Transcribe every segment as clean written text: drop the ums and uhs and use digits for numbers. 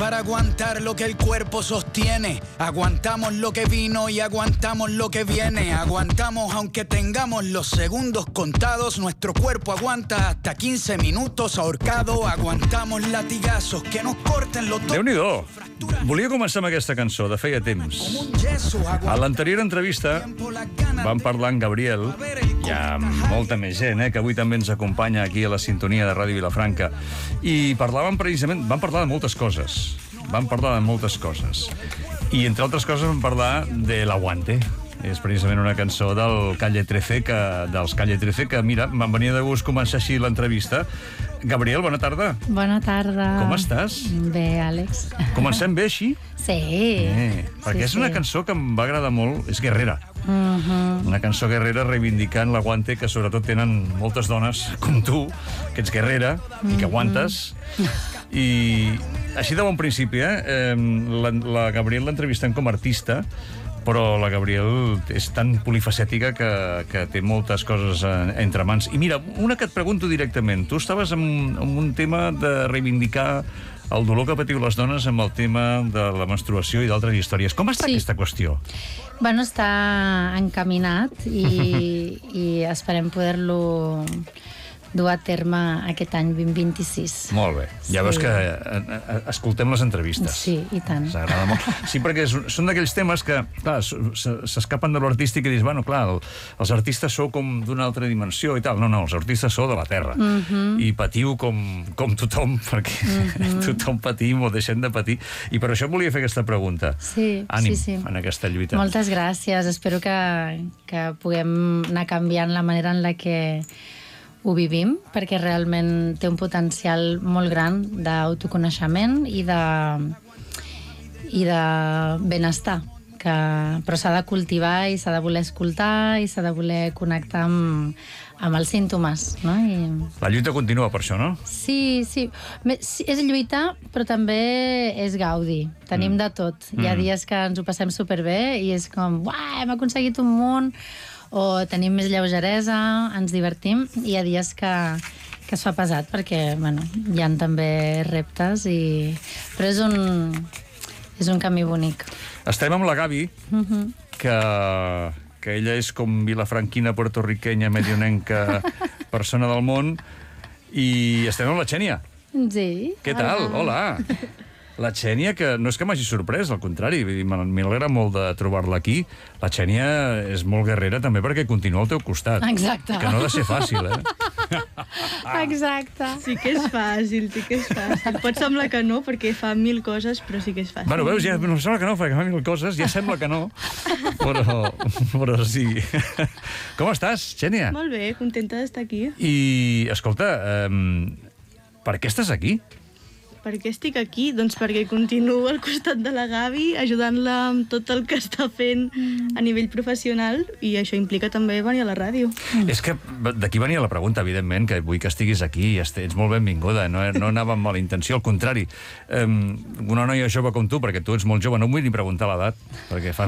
para aguantar lo que el cuerpo sostiene. Aguantamos lo que vino y aguantamos lo que viene. Aguantamos aunque tengamos los segundos contados. Nuestro cuerpo aguanta hasta 15 minutos ahorcado. Aguantamos latigazos que nos corten los dos. Déu-n'hi-do. Volia començar amb aquesta cançó, de feia temps. A l'anterior entrevista vam parlar amb Gabriel, hi ha molta més gent, que avui també ens acompanya aquí a la sintonia de Ràdio Vilafranca, i parlàvem precisament, vam parlar de moltes coses. I entre altres coses vam parlar de l'Aguante. És precisament una cançó dels Calle 13, que, mira, me'n venia de gust començar així l'entrevista. Gabriel, bona tarda. Bona tarda. Com estàs? Bé, Àlex. Comencem bé, així? Sí. Perquè és una cançó que em va agradar molt, és guerrera. Una cançó guerrera reivindicant l'Aguante que sobretot tenen moltes dones com tu, que ets guerrera i que aguantes. I així de bon principi, la Gabriel l'entrevistem com a artista, però la Gabriel és tan polifacètica que té moltes coses entre mans. I mira, una que et pregunto directament. Tu estaves en un tema de reivindicar el dolor que patiu les dones amb el tema de la menstruació i d'altres històries. Com està aquesta qüestió? Bueno, està encaminat i esperem poder-lo dur a terme aquest any 2026. Molt bé. Ja veus que escoltem les entrevistes. Sí, i tant. S'agrada molt. Sí, perquè són d'aquells temes que, clar, s'escapen de l'artístic i dius, bueno, clar, els artistes sou com d'una altra dimensió i tal. No, els artistes sou de la terra. I patiu com tothom, perquè tothom patim o deixem de patir. I per això volia fer aquesta pregunta. Sí, ànim en aquesta lluita. Moltes gràcies. Espero que puguem anar canviant la manera en la que ho vivim, perquè realment té un potencial molt gran d'autoconeixement i de benestar, però s'ha de cultivar i s'ha de voler escoltar i s'ha de voler connectar amb els símptomes, no? La lluita continua per això, no? Sí. És lluitar, però també és gaudi. Tenim de tot. Hi ha dies que ens ho passem superbé i és com, uah, hem aconseguit un munt, o tenim més lleugeresa, ens divertim, i hi ha dies que es fa pesat, perquè, bueno, hi ha també reptes, però és un camí bonic. Estem amb la Gavi, que ella és com vilafranquina, puertorriquenya, medionenca, persona del món, i estem amb la Xènia. Sí. Què tal? Hola. La Xènia, que no és que m'hagi sorprès, al contrari, m'alegra molt de trobar-la aquí. La Xènia és molt guerrera també perquè continua al teu costat. Exacte. Que no ha de ser fàcil, Exacte. Sí que és fàcil. Pot semblar que no, perquè fa 1000 coses, però sí que és fàcil. Bueno, veus, ja no sembla que no, perquè fa 1000 coses, ja sembla que no, però sí. Com estàs, Xènia? Molt bé, contenta d'estar aquí. I, escolta, per què estàs aquí? Per què estic aquí? Doncs perquè continuo al costat de la Gavi, ajudant-la amb tot el que està fent a nivell professional, i això implica també venir a la ràdio. És que d'aquí venia la pregunta, evidentment, que vull que estiguis aquí, ets molt benvinguda, no anava amb mala intenció, al contrari. Una noia jove com tu, perquè tu ets molt jove, no em vull ni preguntar l'edat, perquè fas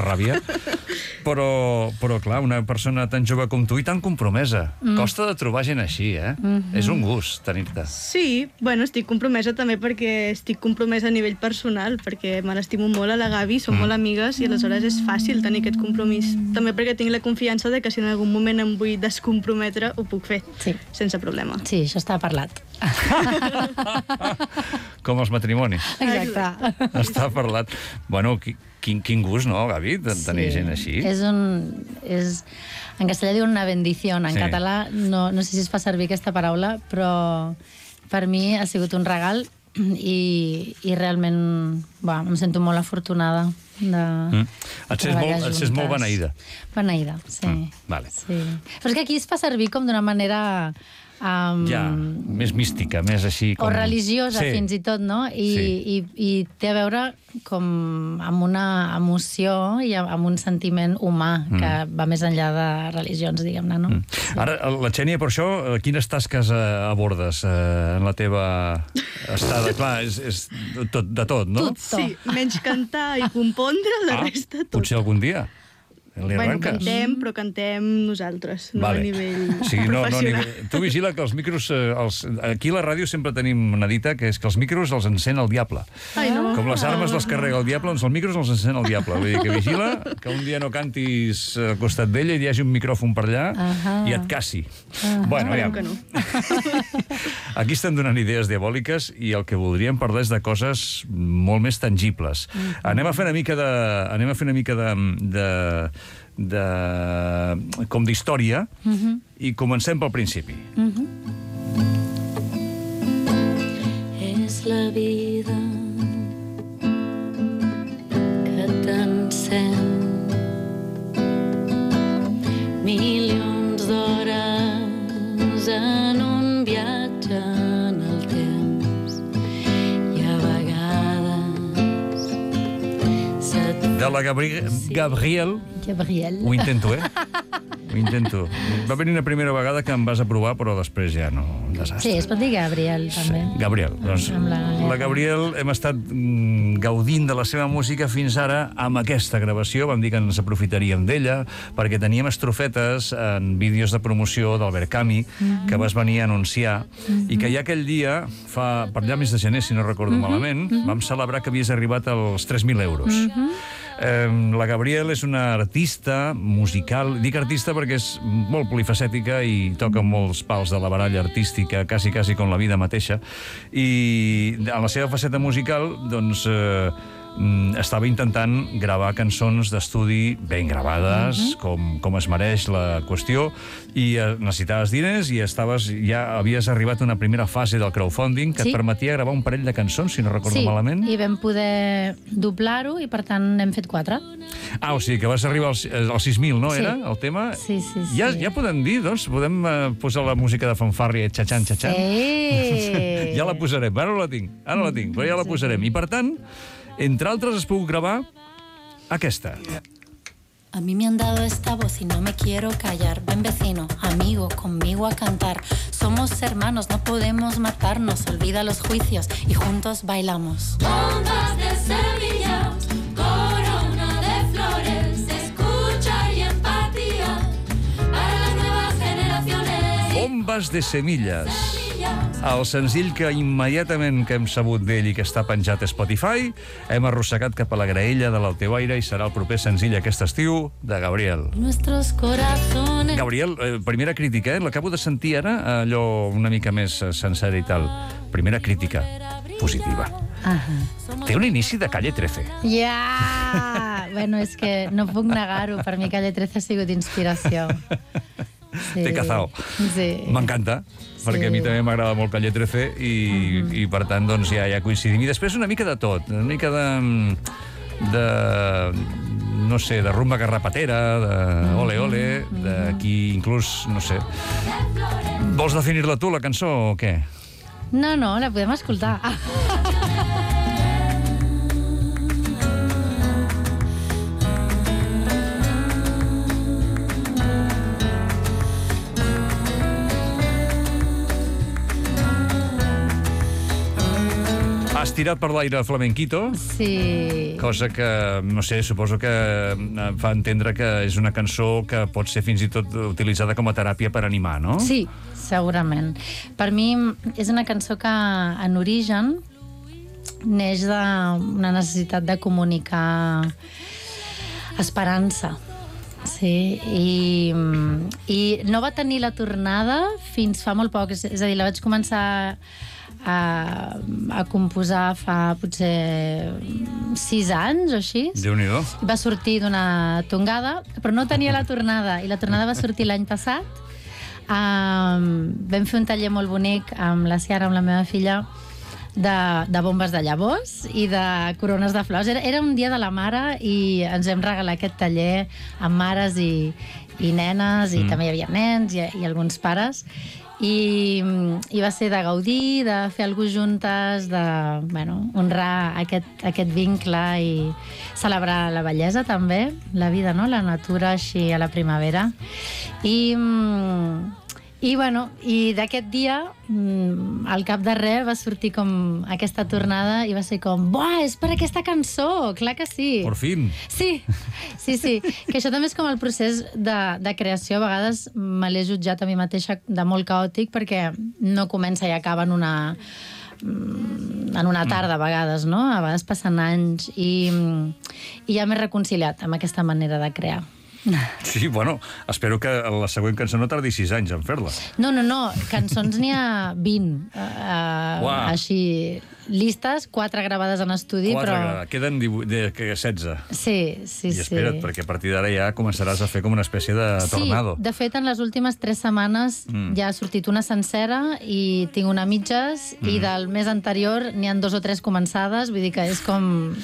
ràbia, però clar, una persona tan jove com tu i tan compromesa. Costa de trobar gent així, És un gust tenir-te. Sí, bueno, estic compromesa també perquè estic compromesa a nivell personal, perquè me l'estimo molt a la Gavi, som molt amigues, i aleshores és fàcil tenir aquest compromís. També perquè tinc la confiança de que si en algun moment em vull descomprometre, ho puc fer, sense problema. Sí, això està parlat. Com els matrimonis. Exacte. Està parlat. Bueno, quin gust, no, Gavi, de tenir gent així? En castellà diuen una bendición, en català no sé si es fa servir aquesta paraula, però per mi ha sigut un regal i realment em sento molt afortunada de treballar juntes. Et sents molt beneïda. Beneïda, sí. Vale. Però és que aquí es fa servir com d'una manera més mística, més així com... O religiosa, fins i tot, no? I té a veure com amb una emoció i amb un sentiment humà que va més enllà de religions, diguem-ne, no? Ara, la Xènia, per això, quines tasques abordes en la teva estada? Clar, és de tot, no? Tot, sí. Menys cantar i compondre, la resta tot. Potser algun dia. Li arranques? Cantem, però cantem nosaltres, no a nivell professional. Tu vigila que els micros... Aquí a la ràdio sempre tenim una dita, que és que els micros els encén el diable. Com les armes les carrega el diable, doncs els micros els encén el diable. Vull dir que vigila que un dia no cantis al costat d'ella i hi hagi un micròfon per allà i et cassi. Bueno, ja... Aquí estem donant idees diabòliques i el que voldríem parlar és de coses molt més tangibles. Anem a fer una mica com d'història i comencem pel principi. És la vida que t'encén milions d'hores en un viatge en el temps i a vegades De la Gabriel. Ho intento, Ho intento. Va venir una primera vegada que em vas aprovar, però després ja no... Un desastre. Sí, es pot dir Gabriel, també. Gabriel. Doncs la Gabriel hem estat gaudint de la seva música fins ara amb aquesta gravació. Vam dir que ens aprofitaríem d'ella perquè teníem estrofetes en vídeos de promoció d'Albert Camus que vas venir a anunciar i que ja aquell dia, per allà mes de gener, si no recordo malament, vam celebrar que havies arribat als 3.000 euros. La Gabriel és una artista musical, dic artista perquè és molt polifacètica i toca molts pals de la baralla artística, quasi com la vida mateixa, i en la seva faceta musical, doncs, estava intentant gravar cançons d'estudi ben gravades, com es mereix la qüestió, i necessitaves diners i ja havies arribat a una primera fase del crowdfunding que et permetia gravar un parell de cançons, si no recordo malament. Sí, i vam poder doblar-ho i per tant n'hem fet 4. O sigui que vas arribar als 6.000, no? Era el tema? Sí. Ja podem dir, doncs, podem posar la música de fanfàrria, xatxan. Sí! Ja la posarem, ara la tinc, però ja la posarem. I per tant, entre altres, has pogut gravar aquesta. A mí me han dado esta voz y no me quiero callar. Ven vecino, amigo, conmigo a cantar. Somos hermanos, no podemos matarnos. Olvida los juicios y juntos bailamos. Bombas de semillas, corona de flores, escucha y empatía para las nuevas generaciones. Bombas de semillas. El senzill que immediatament que hem sabut d'ell i que està penjat a Spotify, hem arrossegat cap a la graella de l'Altebaire i serà el proper senzill aquest estiu de Gabriel. Gabriel, primera crítica, l'acabo de sentir ara, allò una mica més sencera i tal. Primera crítica, positiva. Té un inici de Calle 13. Ja! Bueno, és que no puc negar-ho. Per mi Calle 13 ha sigut inspiració. T'he cazao. M'encanta, perquè a mi també m'agrada molt Calle 13 i per tant doncs ja coincidim. I després una mica de tot, una mica de no sé, de rumba garrapatera, de ole ole, d'aquí inclús, no sé. Vols definir-la tu, la cançó, o què? No, la podem escoltar. Has tirat per l'aire flamenquito. Sí. Cosa que, no sé, suposo que fa entendre que és una cançó que pot ser fins i tot utilitzada com a teràpia per animar, no? Sí, segurament. Per mi és una cançó que, en origen, neix d'una necessitat de comunicar esperança. Sí, i no va tenir la tornada fins fa molt poc. És a dir, la vaig començar a composar fa potser 6 anys o així. Déu-n'hi-do. Va sortir d'una tongada, però no tenia la tornada, i la tornada va sortir l'any passat. Vam fer un taller molt bonic amb la Ciara, amb la meva filla, de bombes de llavors i de corones de flors. Era un dia de la mare i ens vam regalar aquest taller amb mares i nenes, i també hi havia nens i alguns pares. I va ser de gaudir, de fer alguna cosa juntes, de honrar aquest vincle i celebrar la bellesa també, la vida, no? La natura així a la primavera. I I, bueno, i d'aquest dia, al cap de res, va sortir com aquesta tornada i va ser com, buah, és per aquesta cançó, clar que sí. Por fin. Sí. Que això també és com el procés de creació. A vegades me l'he jutjat a mi mateixa de molt caòtic perquè no comença i acaba en una tarda, a vegades, no? A vegades passen anys i ja m'he reconciliat amb aquesta manera de crear. Sí, bueno, espero que la següent cançó no tardi 6 anys en fer-la. No, cançons n'hi ha 20, així, listes, 4 gravades en estudi, 4 però... Queden 16. Sí. I espera't, perquè a partir d'ara ja començaràs a fer com una espècie de tornado. Sí, de fet, en les últimes 3 setmanes ja ha sortit una sencera i tinc una mitges, i del mes anterior n'hi ha 2 o 3 començades, vull dir que és com...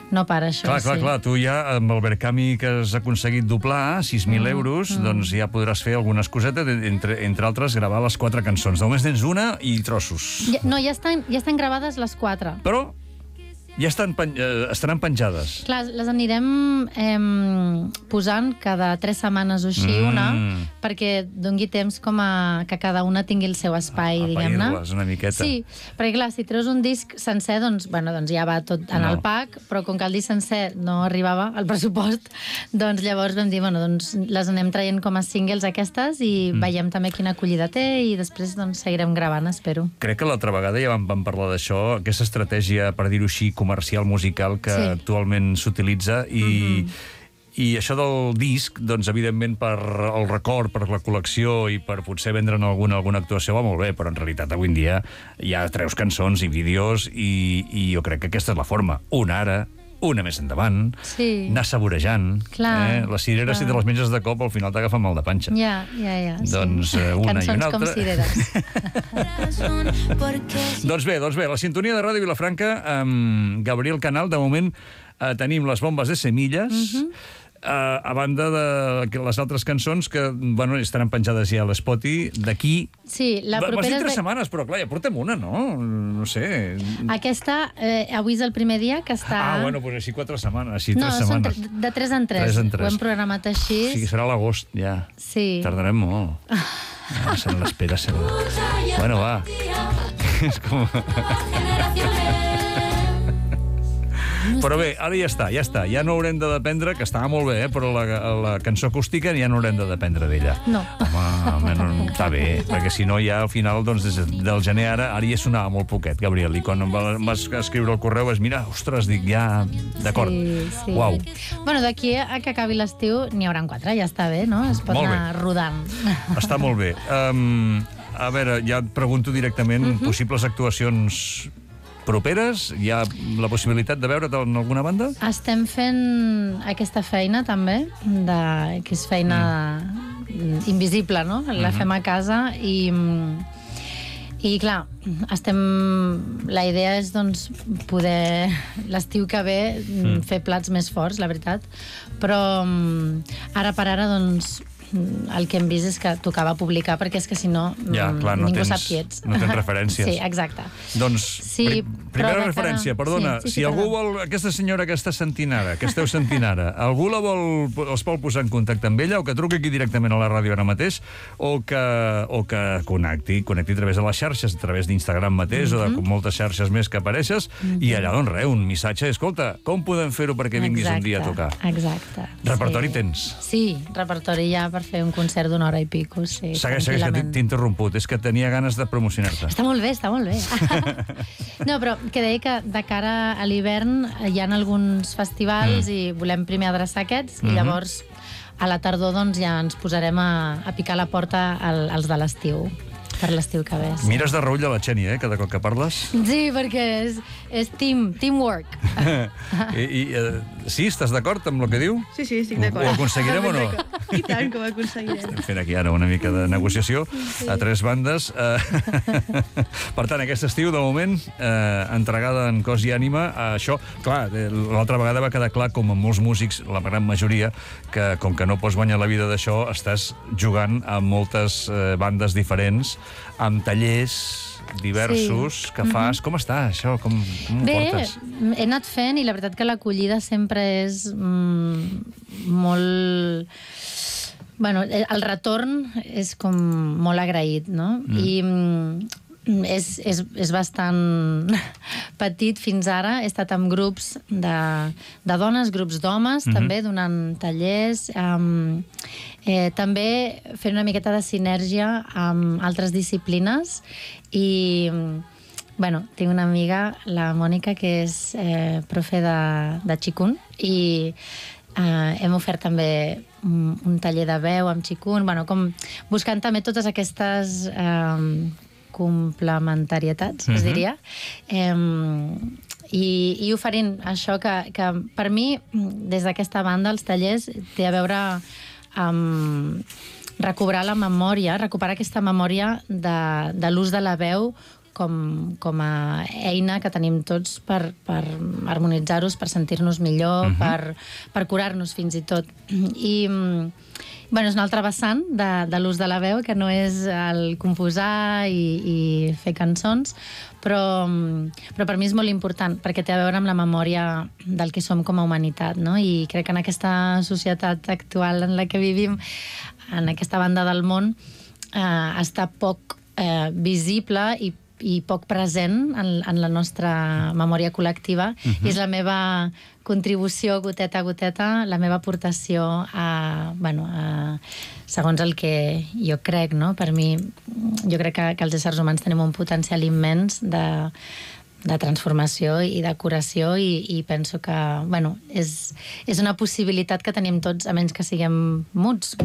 No para, això. Clar, tu ja, amb el Verkami que has aconseguit doblar, 6.000 euros, doncs ja podràs fer algunes cosetes, entre altres, gravar les 4 cançons. Només tens una i trossos. No, ja estan gravades les 4. Però ja estaran penjades. Clar, les anirem posant cada 3 setmanes o així, una, perquè doni temps com que cada una tingui el seu espai, diguem-ne. Apair-les una miqueta. Sí, perquè clar, si treus un disc sencer, doncs ja va tot en el pack, però com que el disc sencer no arribava al pressupost, doncs llavors vam dir, doncs les anem traient com a singles aquestes i veiem també quina acollida té i després doncs seguirem gravant, espero. Crec que l'altra vegada ja vam parlar d'això, aquesta estratègia, per dir-ho així, comercial musical que actualment s'utilitza i això del disc, doncs evidentment per el record, per la col·lecció i per potser vendre'n alguna actuació va molt bé, però en realitat avui en dia hi ha treus cançons i vídeos i jo crec que aquesta és la forma. Una ara, una més endavant, anar saborejant. Les cireres, si te les menges de cop, al final t'agafa mal de panxa. Ja. Doncs una i una altra. Cançons com cireres. Doncs bé, la sintonia de Ràdio Vilafranca, Gabriel Canal, de moment tenim les bombes de semilles, a banda de les altres cançons que, estaran penjades ja a l'Spotify d'aquí... Sí, la propera... Vas dir 3 setmanes, però clar, ja portem una, no? No sé... Aquesta, avui és el primer dia que està... Doncs així 4 setmanes, així 3 setmanes. No, són de 3 en 3. Ho hem programat així. Sí, serà l'agost, ja. Sí. Tardarem molt. Se l'espera, Bueno, va. És com... Però bé, ara ja està. Ja no haurem de dependre, que estava molt bé, però la cançó acústica ja no haurem de dependre d'ella. No. Home, està bé, perquè si no ja al final, doncs, des del gener ara ja sonava molt poquet, Gabriel, i quan em vas escriure el correu vas mirar, ostres, dic, ja, d'acord. Sí. Uau. Bueno, d'aquí a que acabi l'estiu n'hi hauran 4, ja està bé, no? Es pot anar rodant. Està molt bé. A veure, ja et pregunto directament, possibles actuacions properes? Hi ha la possibilitat de veure't en alguna banda? Estem fent aquesta feina, també, que és feina invisible, no? La fem a casa i clar, la idea és, doncs, poder l'estiu que ve fer plats més forts, la veritat, però ara per ara, doncs, el que hem vist és que tocava publicar, perquè és que si no, ningú sap qui ets. No tens referències. Sí, exacte. Doncs, primera referència, perdona, si algú vol, aquesta senyora que està sentint ara, que esteu sentint ara, algú els vol posar en contacte amb ella, o que truqui aquí directament a la ràdio ara mateix, o que connecti a través de les xarxes, a través d'Instagram mateix, o de moltes xarxes més que apareixes, i allà, doncs res, un missatge, escolta, com podem fer-ho perquè vinguis un dia a tocar? Exacte. Repertori tens? Sí, repertori ja per fer un concert d'una hora i pico, sí. Segueix, que t'he interromput. És que tenia ganes de promocionar-te. Està molt bé. No, però que deia que de cara a l'hivern hi ha alguns festivals i volem primer adreçar aquests i llavors a la tardor doncs ja ens posarem a picar la porta als de l'estiu. Per l'estiu que ve. Mires de reull a la Xènia, cada cop que parles? Sí, perquè és teamwork. Sí, estàs d'acord amb el que diu? Sí, estic d'acord. Ho aconseguirem o no? I tant que ho aconseguirem. Estem fent aquí ara una mica de negociació a 3 bandes. Per tant, aquest estiu, de moment, entregada en cos i ànima a això. Clar, l'altra vegada va quedar clar, com amb molts músics, la gran majoria, que com que no pots guanyar la vida d'això, estàs jugant a moltes bandes diferents, amb tallers diversos que fas. Com està això? Com ho portes? Bé, he anat fent i la veritat que l'acollida sempre és molt Bueno, el retorn és com molt agraït, no? I és bastant petit fins ara. He estat amb grups de dones, grups d'homes, també donant tallers, també fent una miqueta de sinergia amb altres disciplines i, bueno, tinc una amiga, la Mònica, que és profe de Qigong i hem ofert també un taller de veu amb Qigong, bueno, com buscant també totes aquestes complementarietats, es diria, i oferint això que per mi, des d'aquesta banda, els tallers, té a veure amb recobrar la memòria, recuperar aquesta memòria de l'ús de la veu com a eina que tenim tots per harmonitzar-nos, per sentir-nos millor, per curar-nos fins i tot. I bueno, és una altra vessant de l'ús de la veu, que no és el composar i fer cançons, però per mi és molt important, perquè té a veure amb la memòria del que som com a humanitat, no? I crec que en aquesta societat actual en la que vivim, en aquesta banda del món, està poc visible i poc present en la nostra memòria col·lectiva, i és la meva contribució goteta a goteta, la meva aportació segons el que jo crec, no? Per mi, jo crec que els éssers humans tenim un potencial immens de transformació i de curació i penso que, bueno, és una possibilitat que tenim tots, a menys que siguem muts.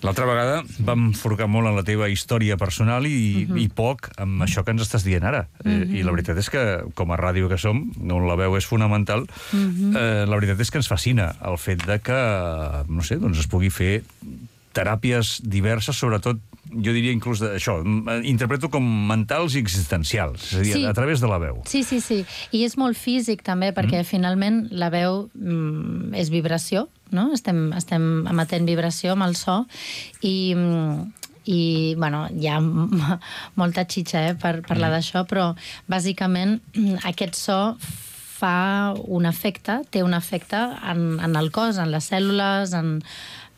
L'altra vegada vam forcar molt en la teva història personal i poc amb això que ens estàs dient ara. I la veritat és que, com a ràdio que som, on la veu és fonamental, la veritat és que ens fascina el fet de que, no sé, doncs es pugui fer teràpies diverses, sobretot, jo diria inclús això, interpreto com mentals i existencials, és a dir, a través de la veu. Sí. I és molt físic també, perquè finalment la veu és vibració, no? Estem emetent vibració amb el so i bueno, hi ha molta xitxa per parlar d'això, però bàsicament aquest so fa un efecte, té un efecte en el cos, en les cèl·lules,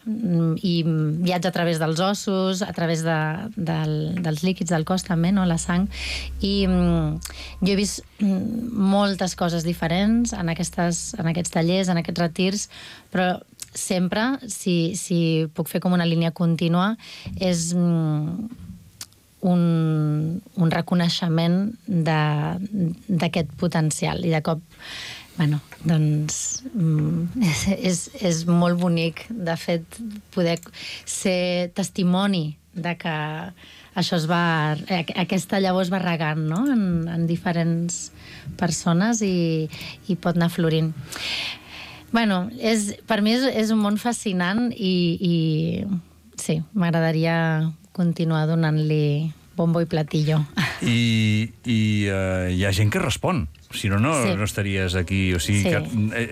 i viatja a través dels ossos, a través dels líquids del cos també, no? La sang, i jo he vist moltes coses diferents en aquests tallers, en aquests retirs, però sempre, si puc fer com una línia contínua, és un reconeixement d'aquest potencial, i de cop, bueno, doncs és molt bonic, de fet, poder ser testimoni de que això aquesta llavor es va regant, no? En diferents persones i pot anar florint. Bueno, per mi és un món fascinant i sí, m'agradaria continuar donant-li bombo i platillo. I hi ha gent que respon. Si no, no estaries aquí. O sigui,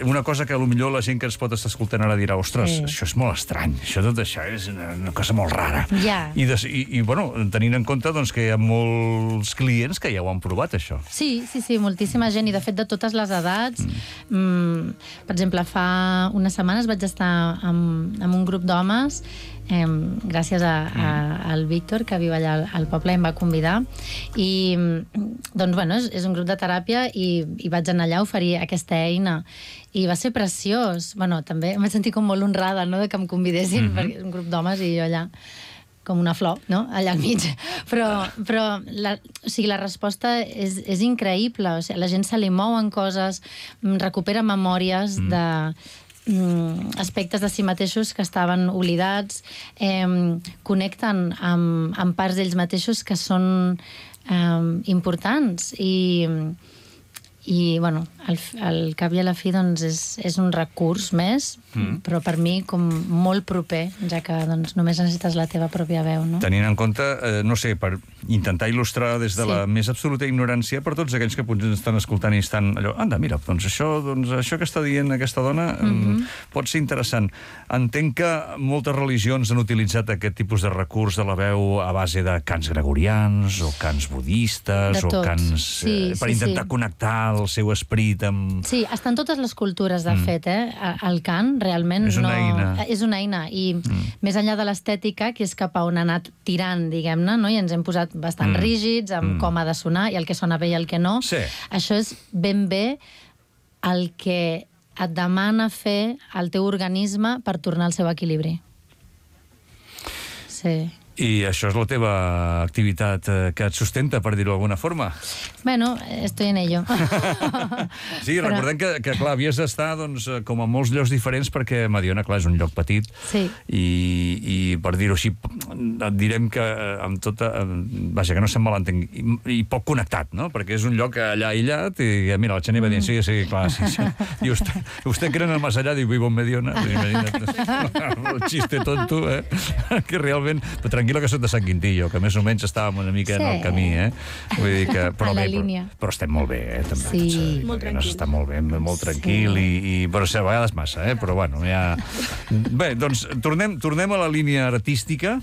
una cosa que potser la gent que ens pot estar escoltant ara dirà, ostres, això és molt estrany, tot això és una cosa molt rara. I bueno, tenint en compte que hi ha molts clients que ja ho han provat, això. Sí, moltíssima gent, i de fet de totes les edats. Per exemple, fa unes setmanes vaig estar amb un grup d'homes, gràcies al Víctor, que viu allà al poble, em va convidar, i doncs, bueno, és un grup de teràpia i vaig anar allà a oferir aquesta eina i va ser preciós. Bueno, també em vaig sentir com molt honrada, no?, de que em convidessin, perquè és un grup d'homes i jo allà com una flor, no?, allà al mig. Però la resposta és increïble. O sigui, la gent se li mouen coses, recupera memòries de aspectes de si mateixos que estaven oblidats, connecten amb parts d'ells mateixos que són importants i bueno, al cap i a la fi doncs és un recurs més, però per mi com molt proper, ja que doncs només necessites la teva pròpia veu, no? Tenint en compte, no sé, per intentar il·lustrar des de la més absoluta ignorància per tots aquells que potser estan escoltant i estan allò, anda, mira, doncs això que està dient aquesta dona pot ser interessant. Entenc que moltes religions han utilitzat aquest tipus de recurs de la veu a base de cants gregorians o cants budistes o cants per intentar connectar el seu esperit amb... Sí, està en totes les cultures, de fet, el cant realment És una eina. És una eina, i més enllà de l'estètica, que és cap a on ha anat tirant, diguem-ne, no? I ens hem posat bastant rígids amb com ha de sonar, i el que sona bé i el que no. Sí. Això és ben bé el que et demana fer el teu organisme per tornar al seu equilibri. Sí. I això és la teva activitat que et sustenta, per dir-ho d'alguna forma? Bueno, estoy en ello. Sí, recordem que clar, havies d'estar doncs, com a molts llocs diferents, perquè Mediona, clar, és un lloc petit, Sí. i per dir-ho així, et direm que amb tota... Vaja, que no se'm malentengui, i poc connectat, no? Perquè és un lloc allà aïllat, i mira, la Xeni va dient, sí, clar, sí. I usted cree en el más allá, diu, vivo en Mediona. El xiste tonto, que realment... Però tranquil·la que soc de Sant Quintillo, que més o menys estàvem una mica en el camí, Vull dir que... Però a la bé, línia. però estem molt bé, també. Sí. Molt tranquils. Està molt bé, molt tranquil, però a vegades massa, però bueno, ja... Bé, doncs, tornem a la línia artística.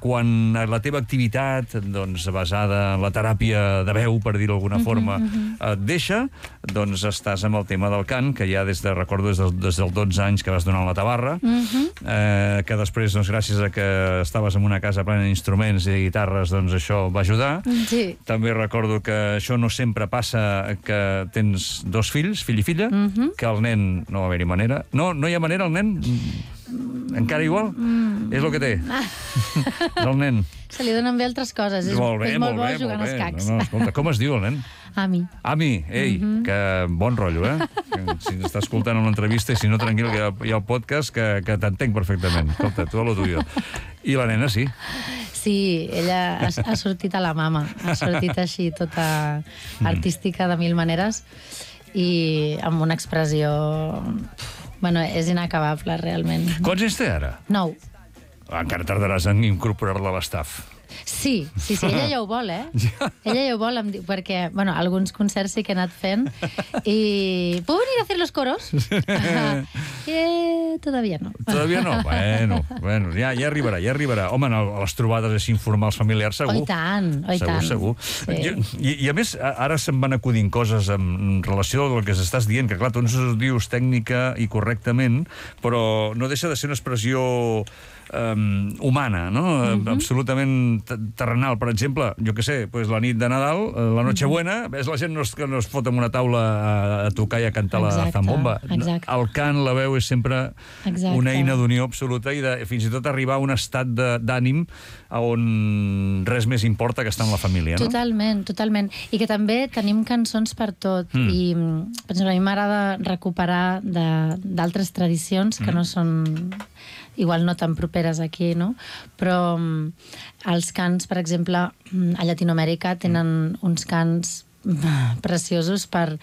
Quan la teva activitat, doncs, basada en la teràpia de veu, per dir-ho d'alguna forma, et deixa, doncs estàs amb el tema del cant, que ja recordo des dels 12 anys que vas donar a la Tabarra, que després, doncs, gràcies a que estaves en una casa plena d'instruments i de guitarres, doncs això va ajudar. Sí. També recordo que això no sempre passa, que tens 2 fills, fill i filla, que el nen no va haver-hi manera. No hi ha manera, el nen? Encara igual? És el que té. El nen. Se li donen bé altres coses. És molt bo jugant als cacs. No, escolta, com es diu el nen? Ami. Ami, ei, que bon rotllo, Si està escoltant una entrevista, i si no, tranquil, que hi ha el podcast, que t'entenc perfectament. Escolta, tu a lo tuyo. I la nena, sí. Sí, ella ha sortit a la mama. Ha sortit així, tota artística de mil maneres, i amb una expressió... Bueno, és inacabable, realment. Quants anys té ara? 9. Encara tardaràs en incorporar-la a l'estaf. Sí, ella ja ho vol, Ella ja ho vol, perquè, bueno, alguns concerts sí que he anat fent, i... ¿Puedo venir a hacer los coros? Todavía no. Todavía no? Bueno, ja arribarà. Home, a les trobades així informals familiars, segur. Oh, i tant. Segur. Sí. I a més, ara se'm van acudint coses en relació al que s'estàs dient, que clar, tu ens ho dius tècnica i correctament, però no deixa de ser una expressió humana, no? Absolutament terrenal. Per exemple, jo què sé, pues la nit de Nadal, la Nochebuena, ves la gent que no es fot en una taula a tocar i a cantar la zambomba. Exacte. El cant, la veu, és sempre una eina d'unió absoluta i fins i tot arribar a un estat d'ànim on res més importa que estar amb la família, no? Totalment. I que també tenim cançons per tot. I, per exemple, a mi m'agrada recuperar d'altres tradicions que no són... igual no tan properes aquí, no? Però els cants, per exemple, a Llatinoamèrica tenen uns cants preciosos per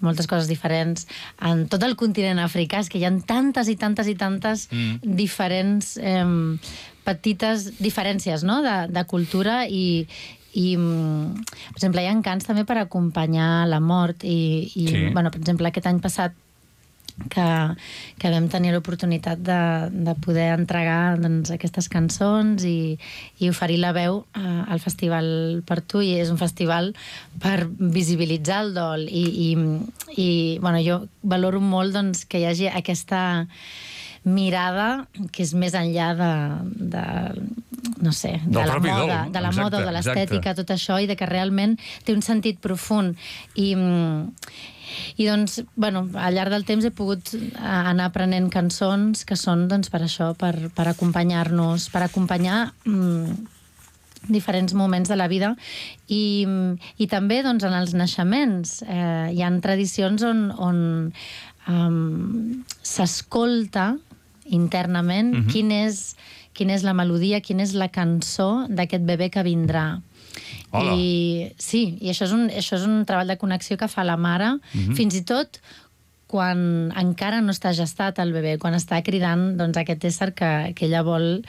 moltes coses diferents. En tot el continent africà és que hi ha tantes i tantes i tantes diferents petites diferències, no? de cultura i per exemple, hi ha cants també per acompanyar la mort i bueno, per exemple, aquest any passat que vam tenir l'oportunitat de poder entregar doncs, aquestes cançons i oferir la veu al Festival Per Tu, i és un festival per visibilitzar el dol i bueno, jo valoro molt doncs, que hi hagi aquesta mirada que és més enllà de no sé, de la moda, de la moda o de l'estètica, tot això, i de que realment té un sentit profund. I doncs, bueno, al llarg del temps he pogut anar aprenent cançons que són, doncs, per això, per acompanyar-nos, per acompanyar diferents moments de la vida i també, doncs, en els naixements. Hi ha tradicions on s'escolta internament quina és la melodia, quina és la cançó d'aquest bebè que vindrà. Hola. I sí, i això és un treball de connexió que fa la mare, fins i tot quan encara no està gestat el bebè, quan està cridant doncs, aquest ésser que ella vol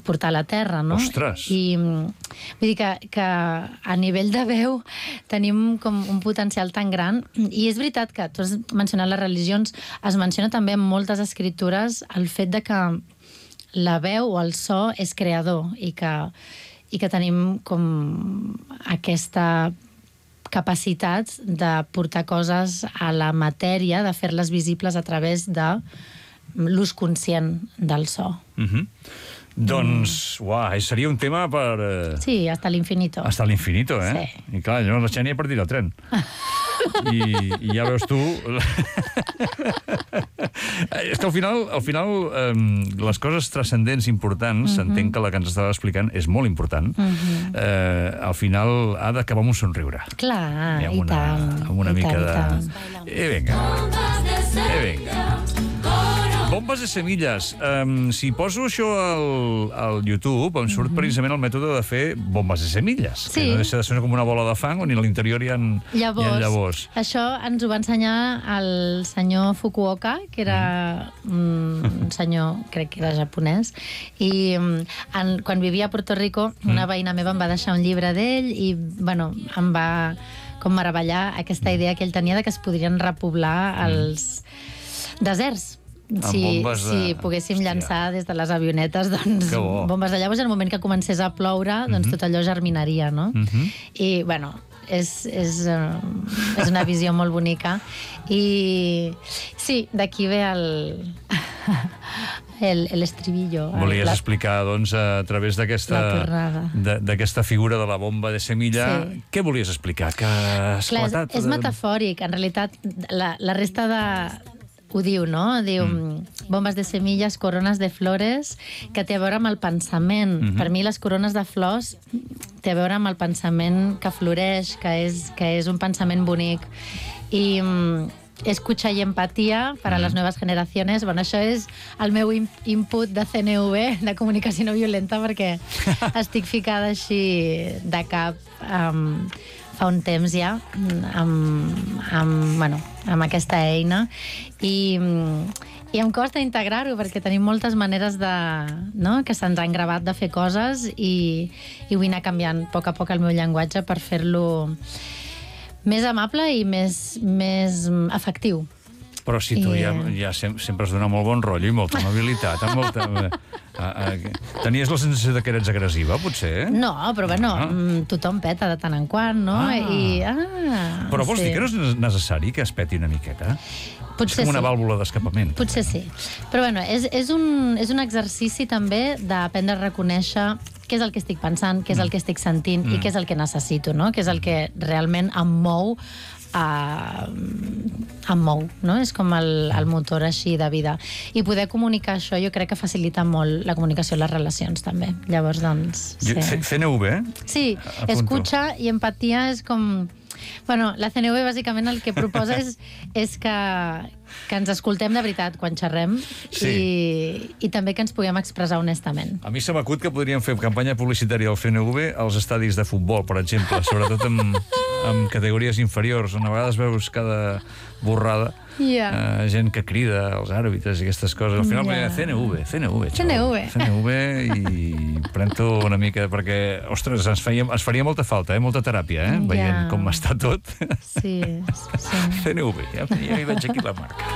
portar a la terra, no? Ostres! I vull dir que a nivell de veu tenim com un potencial tan gran, i és veritat que tu has mencionat les religions, es menciona també en moltes escritures el fet de que la veu o el so és creador i que tenim com aquesta capacitats de portar coses a la matèria, de fer-les visibles a través de l'ús conscient del so. Doncs, uah, seria un tema per... Sí, hasta l'infinito. Hasta l'infinito, eh? Sí. I clar, llavors la Xènia per dir el tren. I ja veus tu... És que al final les coses transcendents importants, entenc que la que ens estava explicant és molt important, al final ha d'acabar amb un somriure. Clar, I amb tant. Amb una mica de... Vinga. Bombes de semilles. Si poso això al YouTube, em surt precisament el mètode de fer bombes de semilles. Sí. Que no deixa de ser com una bola de fang on a l'interior hi ha llavors. Això ens ho va ensenyar el senyor Fukuoka, que era un senyor, crec que era japonès, i quan vivia a Puerto Rico, una veïna meva em va deixar un llibre d'ell i, bueno, em va com meravellar aquesta idea que ell tenia de que es podrien repoblar els deserts. Si poguéssim llançar des de les avionetes bombes de llavors, en el moment que comencés a ploure, doncs tot allò germinaria, no? I, bueno, és una visió molt bonica. I sí, d'aquí ve l'estribillo. Volies explicar, doncs, a través d'aquesta figura de la bomba de semilla, què volies explicar? Que has esclatat? És metafòric. En realitat, la resta de... ho diu, no? Diu bombes de semilles, corones de flores, que té a veure amb el pensament. Per mi les corones de flors té a veure amb el pensament que floreix, que és un pensament bonic. I escucha y empatía para las nuevas generaciones. Bueno, això és el meu input de CNV, de comunicació no violenta, perquè estic ficada així de cap fa un temps ja amb aquesta eina i em costa integrar-ho perquè tenim moltes maneres que se'ns han gravat de fer coses i vull anar canviant a poc el meu llenguatge per fer-lo més amable i més efectiu. Però si tu ja sempre has donat molt bon rotllo i molta amabilitat, tenies la sensació que eres agressiva, potser? No, però bueno, tothom peta de tant en quant, no? Però vols dir que no és necessari que es peti una miqueta? Potser és com una vàlvula d'escapament. Potser sí. Però bueno, és un exercici també d'aprendre a reconèixer què és el que estic pensant, què és el que estic sentint i què és el que necessito, no? Què és el que realment em mou, no? És com el motor així de vida. I poder comunicar això jo crec que facilita molt la comunicació i les relacions també. Llavors, doncs... CNV, eh? Sí, escucha i empatia és com... Bueno, la CNV bàsicament el que proposa és que ens escoltem de veritat quan xerrem i també que ens puguem expressar honestament. A mi se m'acut que podríem fer campanya publicitària del CNV als estadis de futbol, per exemple, sobretot amb categories inferiors, on a vegades veus cada borrada gent que crida als àrbitres i aquestes coses. Al final CNV i pren-t'ho una mica perquè, ostres, ens faria molta falta, molta teràpia, veient com està tot. Sí. CNV, ja hi veig aquí la marca.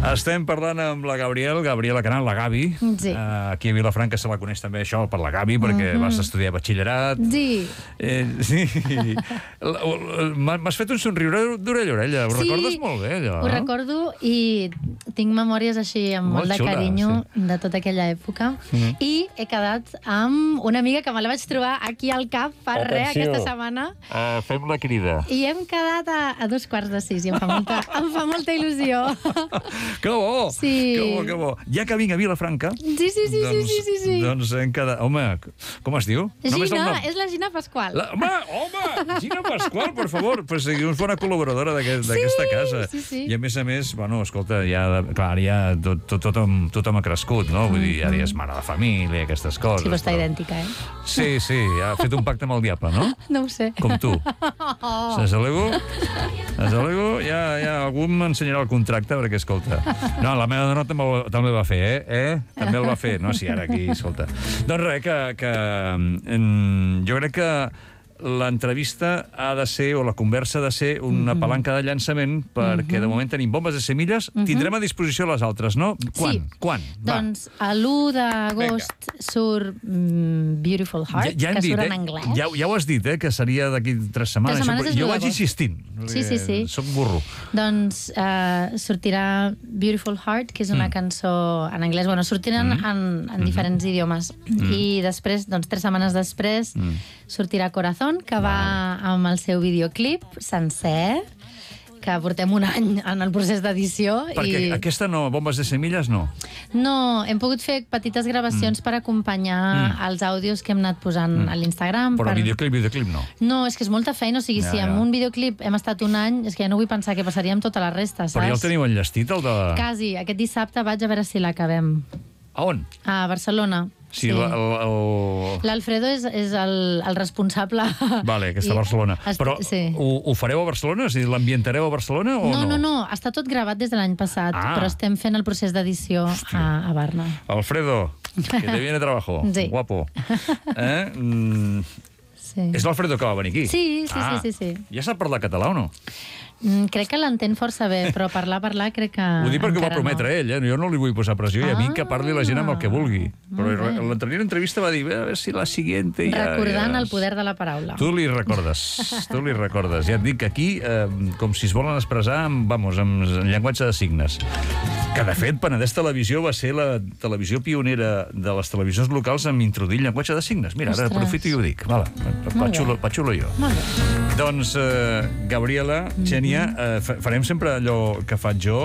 Estem parlant amb la Gabriela Canal, la Gavi. Sí. Aquí a Vilafranca se la coneix també això per la Gavi, perquè vas estudiar batxillerat. Sí. Sí. M'has fet un somriure d'orella a orella. Ho recordes molt bé, allò? Ho recordo i tinc memòries així amb molt de carinyo de tota aquella època. I he quedat amb una amiga que me la vaig trobar aquí al CAP fa res aquesta setmana. Fem la crida. I hem quedat a 5:45 i em fa molta il·lusió. Que bo! Sí. Que bo. Ja que vinc a Vilafranca... Sí. Doncs hem quedat... Home, com es diu? Gina, és la Gina Pasqual. Home! Gina Pasqual, per favor. Pues és bona col·laboradora d'aquesta casa. Sí. I a més, bueno, escolta, ja tothom ha crescut, no? Vull dir, ara ja és mare de família, aquestes coses. Sí, però està idèntica, eh? Sí, ha fet un pacte amb el diable, no? No ho sé. Com tu. Desalego, ja algú m'ensenyarà el contracte, perquè, escolta... No, la meva dona també va fer, També el va fer, no? Sí, ara aquí, escolta. Doncs res, que jo crec que l'entrevista ha de ser, o la conversa ha de ser, una palanca de llançament, perquè de moment tenim bombes de semilles, tindrem a disposició les altres, no? Quan? Sí. Quan? Doncs l'1 d'agost surt Beautiful Heart, que surt en anglès. Ja ho has dit, que seria d'aquí 3 setmanes. 3 setmanes és jo l'1 vaig d'agost. insistint. Sí. Soc burro. Doncs sortirà Beautiful Heart, que és una cançó en anglès. Bueno, sortiran en diferents idiomes. I després, doncs 3 setmanes després, sortirà Corazón, que va amb el seu videoclip sencer, que portem un any en el procés d'edició. Perquè aquesta no, bombes de semilles, no. No, hem pogut fer petites gravacions per acompanyar els àudios que hem anat posant a l'Instagram. Però videoclip no. No, és que és molta feina, o sigui, si amb un videoclip hem estat un any, és que ja no vull pensar què passaria amb tota la resta, saps? Però ja el teniu enllestit, el de... Quasi, aquest dissabte vaig a veure si l'acabem. A on? A Barcelona. Sí, l'Alfredo és el responsable. Vale, que està a Barcelona. Però ho fareu a Barcelona? És a dir, l'ambientareu a Barcelona o no? No, està tot gravat des de l'any passat, però estem fent el procés d'edició a Barna. Alfredo, que te viene trabajo. Sí. Guapo. És l'Alfredo que va venir aquí? Sí. Ja sap parlar català o no? Crec que l'entén força bé, però parlar, crec que... Ho dic perquè ho va prometre ell, jo no li vull posar pressió, i a mi que parli la gent amb el que vulgui. Però l'anterior entrevista va dir, a veure si la siguiente... Recordant el poder de la paraula. Tu li recordes. Ja et dic que aquí, com si es volen expressar amb llenguatge de signes. Que, de fet, Penedès Televisió va ser la televisió pionera de les televisions locals en introduir llenguatge de signes. Mira, ara aprofito i ho dic. Patxulo jo. Doncs, Gabriela, Xènia, farem sempre allò que faig jo,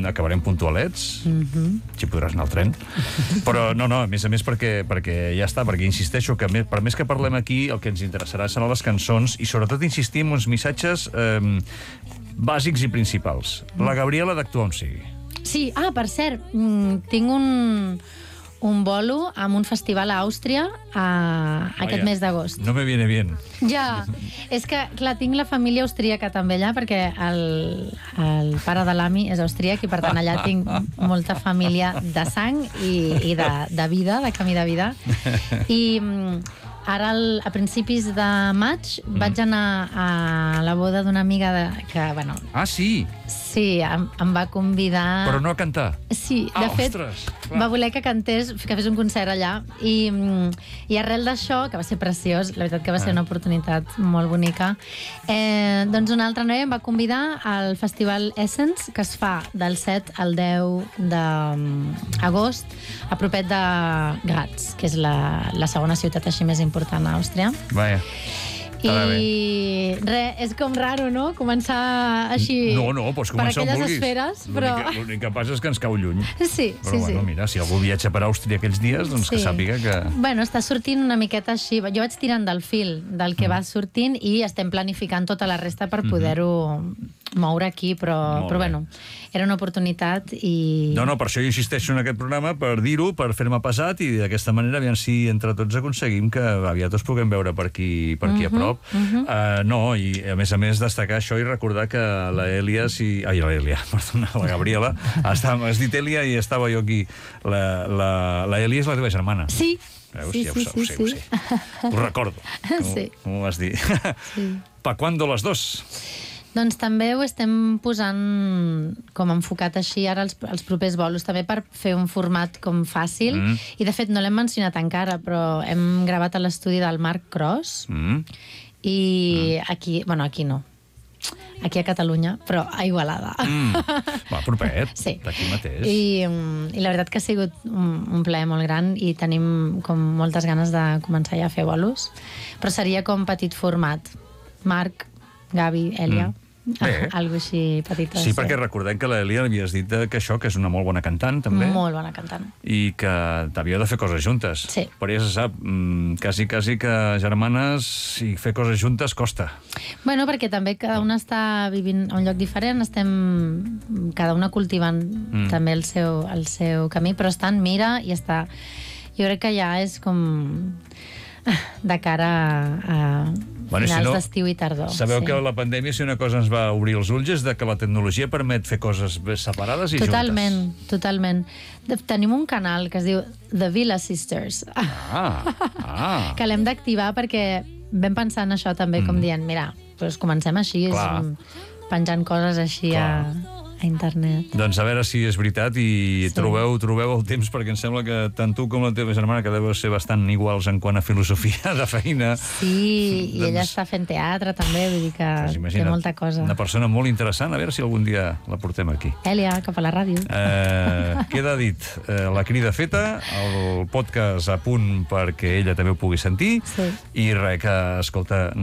acabarem puntualets, si podràs anar al tren, però no, a més perquè ja està, perquè insisteixo que per més que parlem aquí, el que ens interessarà seran les cançons i sobretot insistir en uns missatges bàsics i principals. La Gabriela d'actuar on sigui. Sí, per cert, tinc un bolo amb un festival a Àustria aquest mes d'agost. No me viene bien. Ja, és que, clar, tinc la família austríaca també allà, perquè el pare de l'Ami és austríac i, per tant, allà tinc molta família de sang i de vida, de camí de vida. I ara, a principis de maig, vaig anar a la boda d'una amiga que, bueno... Ah, sí? Sí, em va convidar... Però no a cantar? Sí, de fet, va voler que cantés, que fes un concert allà, i arrel d'això, que va ser preciós, la veritat que va ser una oportunitat molt bonica, doncs una altra noia em va convidar al Festival Essence, que es fa del 7 al 10 d'agost, a propet de Graz, que és la segona ciutat així més important a Àustria. Vaja. I res, és com raro, no? Començar així No, pots començar on vulguis. Per aquelles esferes, però... L'únic que passa és que ens cau lluny. Sí. Però bueno, mira, si algú viatja per Àustria aquells dies, doncs que sàpiga que... Bueno, està sortint una miqueta així. Jo vaig tirant del fil del que va sortint i estem planificant tota la resta per poder-ho moure aquí, però bueno, era una oportunitat i... No, per això jo insisteixo en aquest programa, per dir-ho, per fer-me pesat i d'aquesta manera, aviam si entre tots aconseguim que aviat els puguem veure per aquí a prop. No, i a més destacar això i recordar que la Gabriela, has dit Elia i estava jo aquí. La Elia és la teva germana. Sí. Veus? Ja ho sé. Ho recordo. Com ho vas dir? Pa quando les dos? Doncs també ho estem posant com enfocat així ara els propers bolos, també per fer un format com fàcil. I de fet no l'hem mencionat encara, però hem gravat a l'estudi del Marc Cros. I aquí no. Aquí a Catalunya, però a Igualada. Va, propet, sí. D'aquí mateix. I la veritat que ha sigut un plaer molt gran i tenim com moltes ganes de començar ja a fer bolos. Però seria com petit format. Marc, Gavi, Elia... Algo així petita. Sí, perquè recordem que l'Elia havies dit que això, que és una molt bona cantant, també. Molt bona cantant. I que t'havíeu de fer coses juntes. Sí. Però ja se sap, quasi que germanes i fer coses juntes costa. Bueno, perquè també cada una està vivint a un lloc diferent, estem cada una cultivant també el seu camí, però està en mira i està... Jo crec que ja és com de cara a finals d'estiu i tardor. Sabeu que la pandèmia, si una cosa ens va obrir els ulls, és que la tecnologia permet fer coses separades i juntes. Totalment. Tenim un canal que es diu The Villa Sisters, que l'hem d'activar perquè vam pensar en això també, com dient, mira, doncs comencem així, penjant coses així a internet. Doncs a veure si és veritat i trobeu el temps, perquè em sembla que tant tu com la teva germana que deveu ser bastant iguals en quant a filosofia de feina. Sí, i ella està fent teatre també, vull dir que té molta cosa. Una persona molt interessant, a veure si algun dia la portem aquí. Èlia, cap a la ràdio. Queda dit, la crida feta, el podcast a punt perquè ella també ho pugui sentir, i res, que, escolta,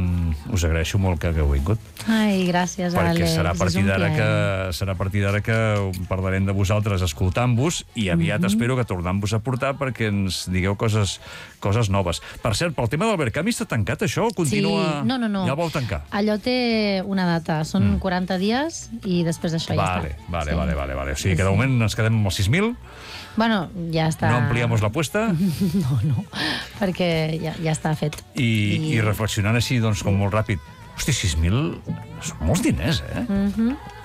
us agraeixo molt que hagueu vingut. Ai, gràcies, Àlex. Perquè serà a partir d'ara que parlarem de vosaltres escoltant-vos i aviat espero que tornem-vos a portar perquè ens digueu coses noves. Per cert, pel tema del Verkami està tancat això? Continua... Sí, no. Ja el vau tancar? Allò té una data, són 40 dies i després d'això ja està. Vale. O sigui que de moment ens quedem amb els 6.000. Bueno, ja està... No ampliamos la apuesta? No, perquè ja està fet. I reflexionant així, doncs, com molt ràpid, hosti, 6.000 són molts diners,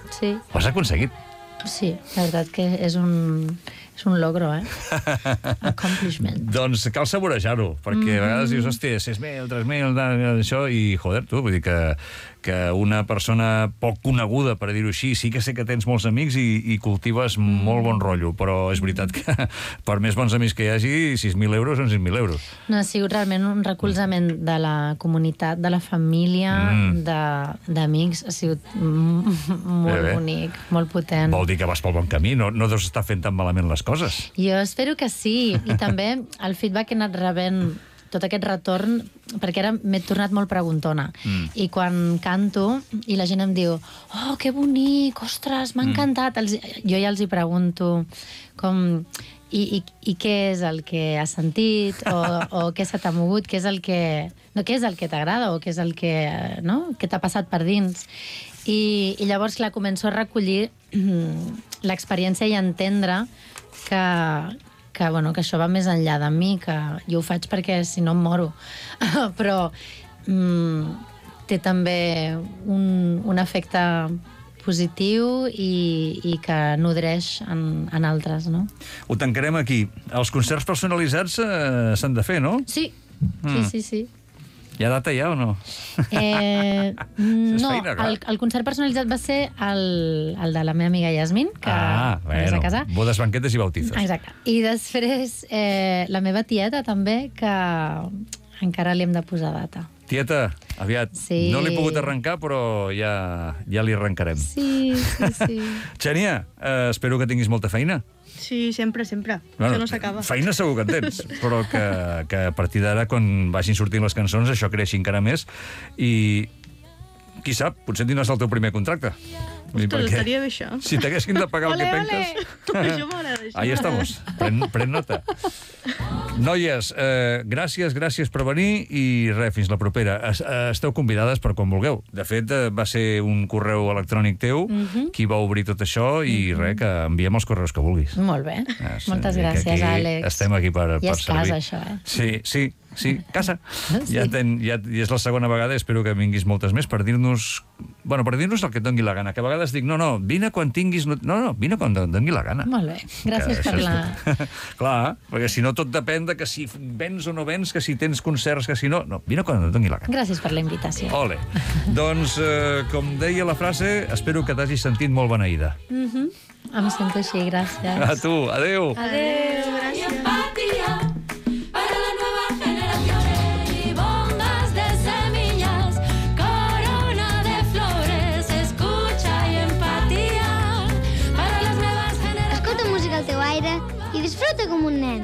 Sí. Ho has aconseguit. Sí, la veritat que és un logro, Accomplishment. Doncs cal saborejar-ho, perquè a vegades dius, hòstia, 6.000, 3.000, això, i joder, tu, vull dir que una persona poc coneguda, per dir-ho així, sí que sé que tens molts amics i cultives molt bon rotllo, però és veritat que per més bons amics que hi hagi, 6.000 euros són 6.000 euros. No, ha sigut realment un recolzament de la comunitat, de la família, d'amics, ha sigut molt bonic, molt potent. Vol dir que vas pel bon camí, no deus estar fent tan malament les coses. Jo espero que sí, i també el feedback que he anat rebent, tot aquest retorn, perquè ara m'he tornat molt preguntona. I quan canto i la gent em diu que bonic, ostres, m'ha encantat. Jo ja els hi pregunto com... I què és el que has sentit o què se t'ha mogut, què és el que t'agrada o què és el que t'ha passat per dins. I llavors, clar, començo a recollir l'experiència i a entendre que això va més enllà de mi, que jo ho faig perquè si no em moro. Però té també un efecte positiu i que nodreix en altres, no? Ho tancarem aquí. Els concerts personalitzats s'han de fer, no? Sí. Hi ha data ja o no? No, el concert personalitzat va ser el de la meva amiga Yasmin, que és a casa. Bodes, banquetes i bautizos. Exacte. I després la meva tieta també, que encara li hem de posar data. Tieta, aviat. Sí. No l'he pogut arrencar, però ja li arrencarem. Sí. Xènia, espero que tinguis molta feina. Sí, sempre. Bueno, això no s'acaba. Feina segur que en tens, però que a partir d'ara, quan vagin sortint les cançons, això creixi encara més i, qui sap, potser tindràs el teu primer contracte. Ostres, estaria bé això. Si t'haguessin de pagar el que penques... Això m'agrada, això. Ahí estamos. Pren nota. Noies, gràcies per venir i res, fins la propera. Esteu convidades per quan vulgueu. De fet, va ser un correu electrònic teu qui va obrir tot això i res, que enviem els correus que vulguis. Molt bé. Moltes gràcies, Àlex. Estem aquí per servir. I és casa, això, Sí, casa. Ja és la segona vegada, espero que vinguis moltes més per dir-nos... Bueno, per dir-nos el que et doni la gana, que a vegades dic, no, vine quan tinguis... No, vine quan et doni la gana. Molt bé, gràcies per la... Clar, perquè si no tot depèn de que si vens o no vens, que si tens concerts, que si no... No, vine quan et doni la gana. Gràcies per la invitació. Ole. Doncs, com deia la frase, espero que t'hagis sentit molt beneïda. Em sento així, gràcies. A tu, adeu. Adeu, gràcies. Escolta música al teu aire i disfruta com un nen.